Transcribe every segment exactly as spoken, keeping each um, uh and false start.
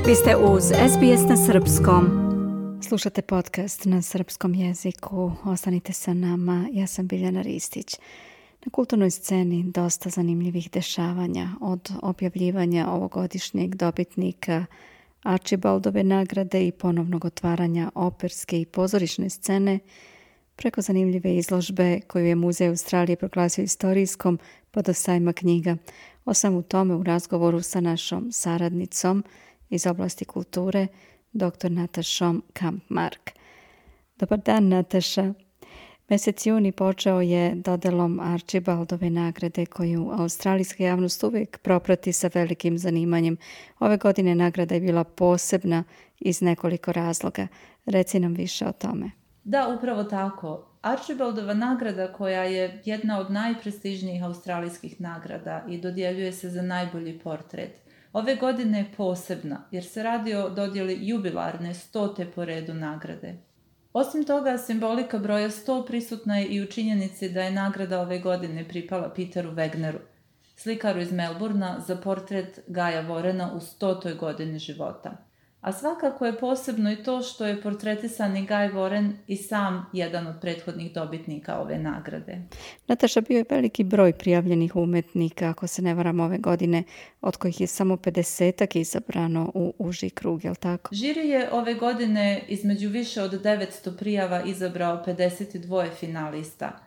Vi ste uz S B S na srpskom. Slušate podcast na srpskom jeziku. Ostanite sa nama. Ja sam Biljana Ristić. Na kulturnoj sceni dosta zanimljivih dešavanja, od objavljivanja ovogodišnjeg dobitnika Archibaldove nagrade i ponovnog otvaranja operske i pozorišne scene, preko zanimljive izložbe koju je Muzej Australije proglasio istorijskom pa do sajma knjiga. O svemu tome u razgovoru sa našom saradnicom iz oblasti kulture, doktor Natašom Kampmark. Dobar dan, Nataša. Mesec juni počeo je dodelom Archibaldove nagrade koju australijska javnost uvijek proprati sa velikim zanimanjem. Ove godine nagrada je bila posebna iz nekoliko razloga. Reci nam više o tome. Da, upravo tako. Archibaldova nagrada, koja je jedna od najprestižnijih australijskih nagrada i dodjeljuje se za najbolji portret, ove godine je posebna jer se radi o dodjeli jubilarne stote po redu nagrade. Osim toga, simbolika broja sto prisutna je i u činjenici da je nagrada ove godine pripala Peteru Wegneru, slikaru iz Melbourna, za portret Guya Warrena u stotoj godini života. A svakako je posebno i to što je portretisani Guy Warren i sam jedan od prethodnih dobitnika ove nagrade. Nataša, bio je veliki broj prijavljenih umetnika, ako se ne varam, ove godine, od kojih je samo pedesetak izabrano u uži krug, je li tako? Žiri je ove godine između više od devetsto prijava izabrao pedeset dva finalista.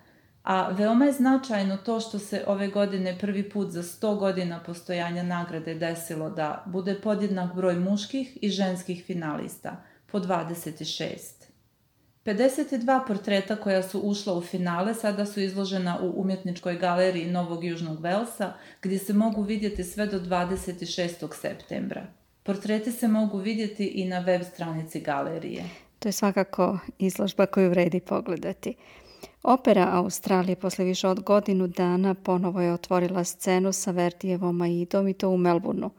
A veoma je značajno to što se ove godine prvi put za sto godina postojanja nagrade desilo da bude podjednak broj muških i ženskih finalista, po dvadeset šest. pedeset dva portreta koja su ušla u finale sada su izložena u umjetničkoj galeriji Novog Južnog Velsa, gdje se mogu vidjeti sve do dvadeset šestog septembra. Portreti se mogu vidjeti i na web stranici galerije. To je svakako izložba koju vredi pogledati. Opera Australije posle više od godinu dana ponovo je otvorila scenu sa Verdijevom Aidom i to u Melbourneu.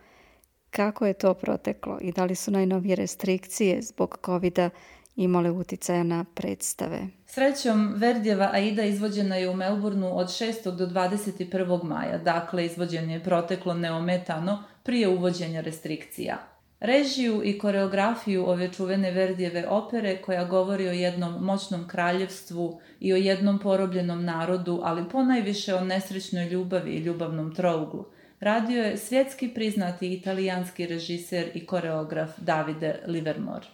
Kako je to proteklo i da li su najnovije restrikcije zbog covida imale uticaja na predstave? Srećom, Verdijeva Aida izvođena je u Melbourneu od šestog do dvadeset prvog maja, dakle izvođenje je proteklo neometano prije uvođenja restrikcija. Režiju i koreografiju ove čuvene Verdijeve opere, koja govori o jednom moćnom kraljevstvu i o jednom porobljenom narodu, ali ponajviše o nesrećnoj ljubavi i ljubavnom trouglu, radio je svjetski priznati italijanski režiser i koreograf Davide Livermore.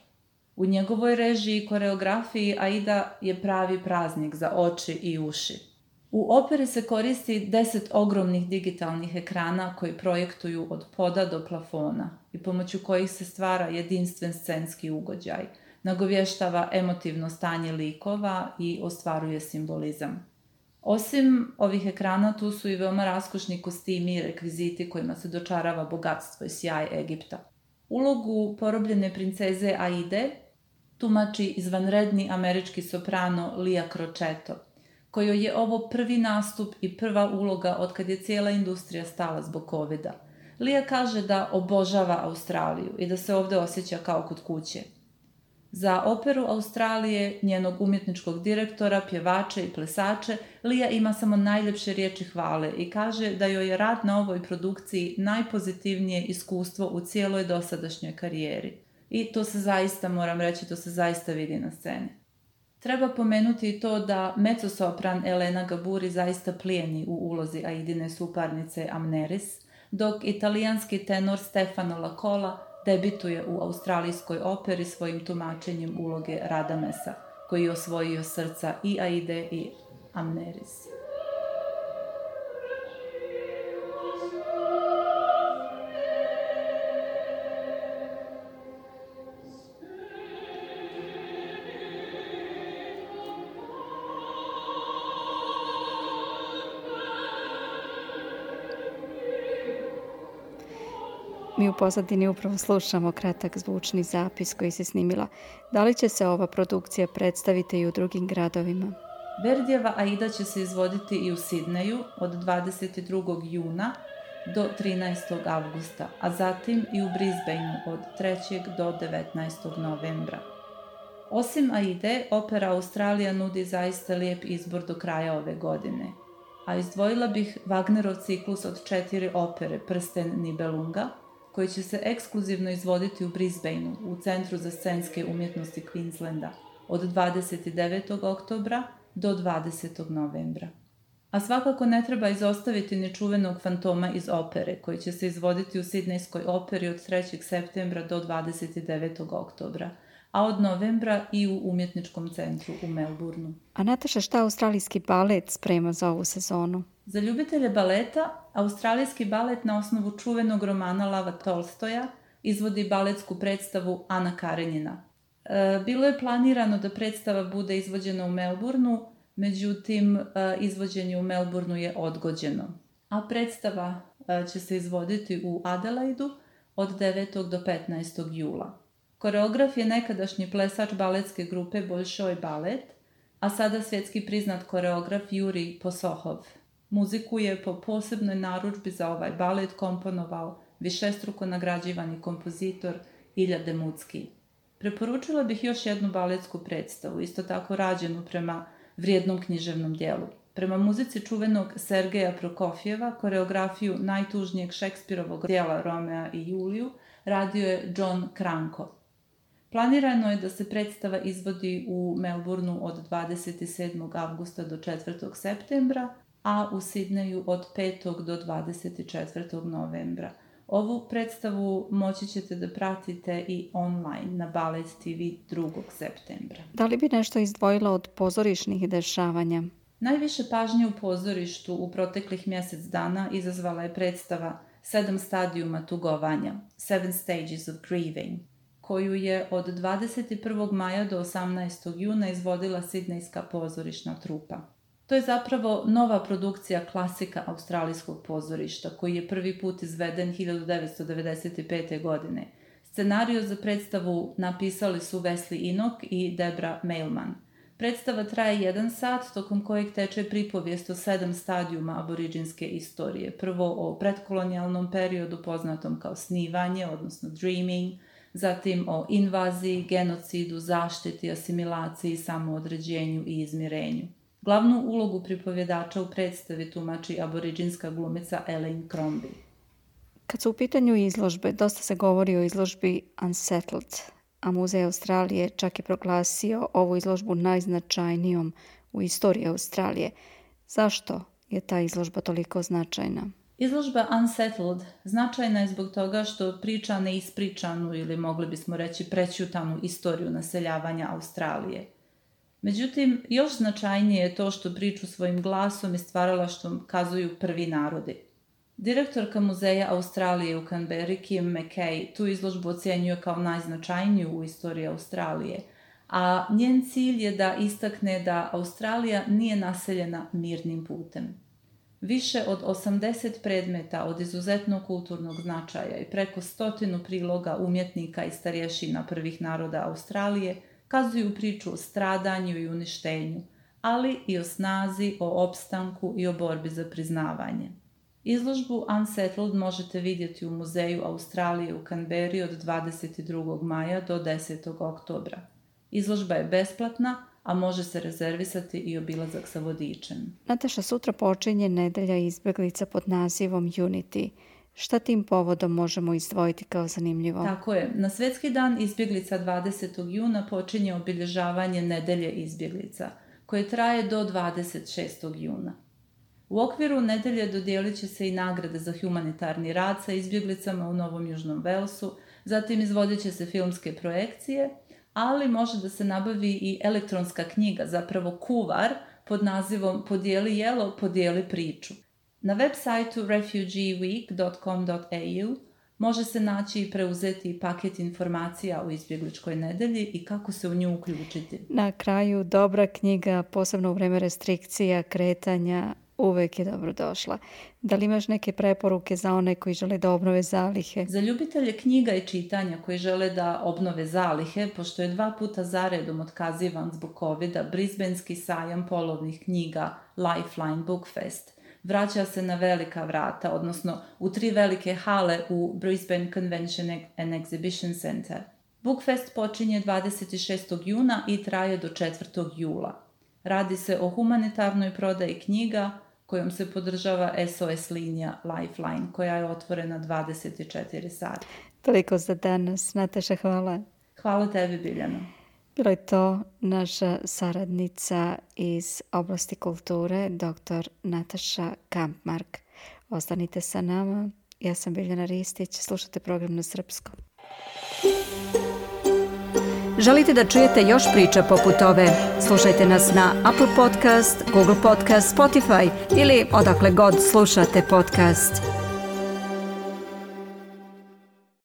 U njegovoj režiji i koreografiji Aida je pravi praznik za oči i uši. U operi se koristi deset ogromnih digitalnih ekrana koji projektuju od poda do plafona i pomoću kojih se stvara jedinstven scenski ugođaj, nagovještava emotivno stanje likova i ostvaruje simbolizam. Osim ovih ekrana, tu su i veoma raskošni kostimi i rekviziti kojima se dočarava bogatstvo i sjaj Egipta. Ulogu porobljene princeze Aide tumači izvanredni američki soprano Lia Crocetto, kojoj je ovo prvi nastup i prva uloga otkad je cijela industrija stala zbog covida. Lia kaže da obožava Australiju i da se ovdje osjeća kao kod kuće. Za operu Australije, njenog umjetničkog direktora, pjevače i plesače, Lia ima samo najljepše riječi hvale i kaže da joj je rad na ovoj produkciji najpozitivnije iskustvo u cijeloj dosadašnjoj karijeri. I to se zaista, moram reći, to se zaista vidi na sceni. Treba pomenuti i to da mezzosopran Elena Gaburi zaista plijeni u ulozi Aidine suparnice Amneris, dok italijanski tenor Stefano Lacola debituje u australijskoj operi svojim tumačenjem uloge Radamesa, koji je osvojio srca i Aide i Amneris. Mi u pozadini upravo slušamo kratak zvučni zapis koji se snimila. Da li će se ova produkcija predstaviti i u drugim gradovima? Verdijeva Aida će se izvoditi i u Sidneju od dvadeset drugog juna do trinaestog avgusta, a zatim i u Brisbaneu od trećeg do devetnaestog novembra. Osim Aide, opera Australija nudi zaista lijep izbor do kraja ove godine, a izdvojila bih Wagnerov ciklus od četiri opere Prsten Nibelunga, koji će se ekskluzivno izvoditi u Brisbaneu, u Centru za scenske umjetnosti Queenslanda, od dvadeset devetog oktobra do dvadesetog novembra. A svakako ne treba izostaviti ni čuvenog Fantoma iz opere, koji će se izvoditi u Sidnejskoj operi od trećeg septembra do dvadeset devetog oktobra, a od novembra i u Umjetničkom centru u Melbourneu. A Nataša, šta australijski balet sprema za ovu sezonu? Za ljubitelje baleta, australijski balet na osnovu čuvenog romana Lava Tolstoja izvodi baletsku predstavu Ana Karenjina. E, bilo je planirano da predstava bude izvođena u Melbourneu, međutim, izvođenje u Melbourneu je odgođeno. A predstava će se izvoditi u Adelaidu od devetog do petnaestog jula. Koreograf je nekadašnji plesač baletske grupe Bolšoj balet, a sada svjetski priznat koreograf Jurij Posohov. Muziku je po posebnoj narudžbi za ovaj balet komponovao višestruko nagrađivani kompozitor Ilja Demucki. Preporučila bih još jednu baletsku predstavu, isto tako rađenu prema vrijednom književnom dijelu. Prema muzici čuvenog Sergeja Prokofjeva, koreografiju najtužnijeg Šekspirovog dijela Romea i Juliju radio je John Cranko. Planirano je da se predstava izvodi u Melbourneu od dvadeset sedmog avgusta do četvrtog septembra, a u Sidneju od petog do dvadeset četvrtog novembra. Ovu predstavu moći ćete da pratite i online na Balet T V drugog septembra. Da li bi nešto izdvojila od pozorišnih dešavanja? Najviše pažnje u pozorištu u proteklih mjesec dana izazvala je predstava Sedam stadijuma tugovanja, Seven Stages of Grieving, koju je od dvadeset prvog maja do osamnaestog juna izvodila Sidnejska pozorišna trupa. To je zapravo nova produkcija klasika australijskog pozorišta, koji je prvi put izveden hiljadu devetsto devedeset pete. godine. Scenariju za predstavu napisali su Wesley Enoch i Debra Mailman. Predstava traje jedan sat, tokom kojeg teče pripovijest o sedam stadijuma aboriđinske istorije. Prvo o predkolonijalnom periodu poznatom kao snivanje, odnosno dreaming, zatim o invaziji, genocidu, zaštiti, asimilaciji, samoodređenju i izmirenju. Glavnu ulogu pripovjedača u predstavi tumači aboriđinska glumica Elaine Crombie. Kad su u pitanju izložbe, dosta se govori o izložbi Unsettled, a Muzej Australije čak je proglasio ovu izložbu najznačajnijom u istoriji Australije. Zašto je ta izložba toliko značajna? Izložba Unsettled značajna je zbog toga što priča neispričanu ili mogli bismo reći prećutanu istoriju naseljavanja Australije. Međutim, još značajnije je to što priču svojim glasom i stvaralaštvom kazuju prvi narodi. Direktorka Muzeja Australije u Canberri, Kim McKay, tu izložbu ocjenjuje kao najznačajniju u istoriji Australije, a njen cilj je da istakne da Australija nije naseljena mirnim putem. Više od osamdeset predmeta od izuzetno kulturnog značaja i preko stotinu priloga umjetnika i starješina prvih naroda Australije kazuju priču o stradanju i uništenju, ali i o snazi, o opstanku i o borbi za priznavanje. Izložbu Unsettled možete vidjeti u Muzeju Australije u Canberri od dvadeset drugog maja do desetog oktobra. Izložba je besplatna, a može se rezervisati i obilazak sa vodičem. Nataša, sutra počinje nedelja izbjeglica pod nazivom Unity. Šta tim povodom možemo izdvojiti kao zanimljivo? Tako je. Na Svjetski dan izbjeglica dvadesetog juna počinje obilježavanje nedelje izbjeglica, koje traje do dvadeset šestog juna. U okviru nedelje dodijelit će se i nagrade za humanitarni rad sa izbjeglicama u Novom Južnom Velsu, zatim izvodit će se filmske projekcije, ali može da se nabavi i elektronska knjiga, zapravo kuvar, pod nazivom Podijeli jelo, podijeli priču. Na web sajtu refugee week dot com dot a u može se naći i preuzeti paket informacija o izbjegličkoj nedelji i kako se u nju uključiti. Na kraju, dobra knjiga, posebno u vreme restrikcija, kretanja, uvek je dobro došla. Da li imaš neke preporuke za one koji žele da obnove zalihe? Za ljubitelje knjiga i čitanja koji žele da obnove zalihe, pošto je dva puta zaredom otkazivan zbog covida, Brisbanski sajam polovnih knjiga Lifeline Book Fest vraća se na velika vrata, odnosno u tri velike hale u Brisbane Convention and Exhibition Center. Bookfest počinje dvadeset šestog juna i traje do četvrtog jula. Radi se o humanitarnoj prodaji knjiga, kojom se podržava S O S linija Lifeline, koja je otvorena dvadeset četiri sata. Toliko za danas. Nataša, hvala. Hvala tebi, Biljana. Bila je to naša saradnica iz oblasti kulture, doktor Nataša Kampmark. Ostanite sa nama. Ja sam Biljana Ristić. Slušajte program na srpskom. Želite da čujete još priča poput ove? Slušajte nas na Apple Podcast, Google Podcast, Spotify ili odakle god slušate podcast.